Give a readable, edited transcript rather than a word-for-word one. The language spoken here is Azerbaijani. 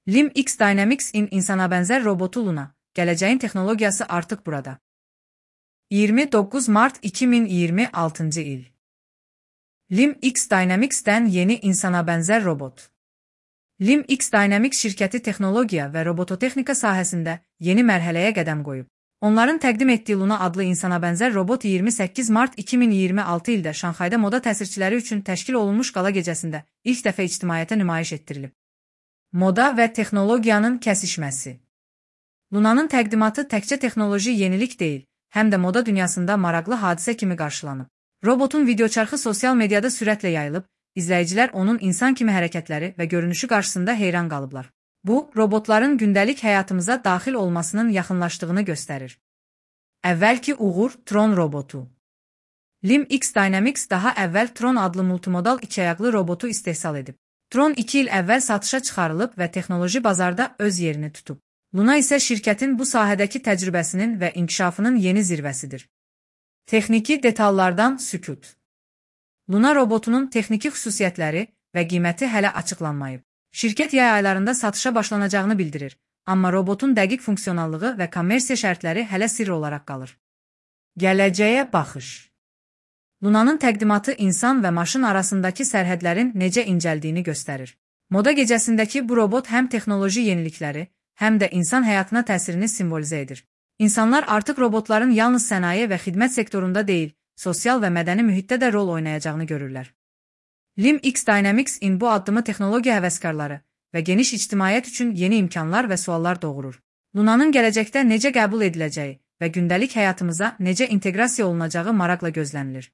LIM X Dynamics in insana bənzər robotu Luna, gələcəyin texnologiyası artıq burada. 29 Mart 2026 il. LIM X Dynamics'dən yeni insana bənzər robot. LIM X Dynamics şirkəti texnologiya və robototexnika sahəsində yeni mərhələyə qədəm qoyub. Onların təqdim etdiyi Luna adlı insana bənzər robot 28 Mart 2026 ildə Şanxayda moda təsirçiləri üçün təşkil olunmuş qala gecəsində ilk dəfə ictimaiyyətə nümayiş etdirilib. Moda və texnologiyanın kəsişməsi. Lunanın təqdimatı təkcə texnoloji yenilik deyil, həm də moda dünyasında maraqlı hadisə kimi qarşılanıb. Robotun videoçarxı sosial mediada sürətlə yayılıb, izləyicilər onun insan kimi hərəkətləri və görünüşü qarşısında heyran qalıblar. Bu, robotların gündəlik həyatımıza daxil olmasının yaxınlaşdığını göstərir. Əvvəlki uğur Tron robotu. LIM X Dynamics daha əvvəl Tron adlı multimodal ikiayaqlı robotu istehsal edib. Tron 2 il əvvəl satışa çıxarılıb və texnoloji bazarda öz yerini tutub. Luna isə şirkətin bu sahədəki təcrübəsinin və inkişafının yeni zirvəsidir. Texniki detallardan sükut. Luna robotunun texniki xüsusiyyətləri və qiyməti hələ açıqlanmayıb. Şirkət yay aylarında satışa başlanacağını bildirir, amma robotun dəqiq funksionallığı və kommersiya şərtləri hələ sirr olaraq qalır. Gələcəyə baxış. Lunanın təqdimatı insan və maşın arasındakı sərhədlərin necə incəldiyini göstərir. Moda gecəsindəki bu robot həm texnoloji yenilikləri, həm də insan həyatına təsirini simvolizə edir. İnsanlar artıq robotların yalnız sənaye və xidmət sektorunda deyil, sosial və mədəni mühitdə də rol oynayacağını görürlər. LIM X Dynamics in bu addımı texnologiya həvəskarları və geniş ictimaiyyət üçün yeni imkanlar və suallar doğurur. Lunanın gələcəkdə necə qəbul ediləcəyi və gündəlik həyatımıza necə inteqrasiya olunacağı maraqla gözlənilir.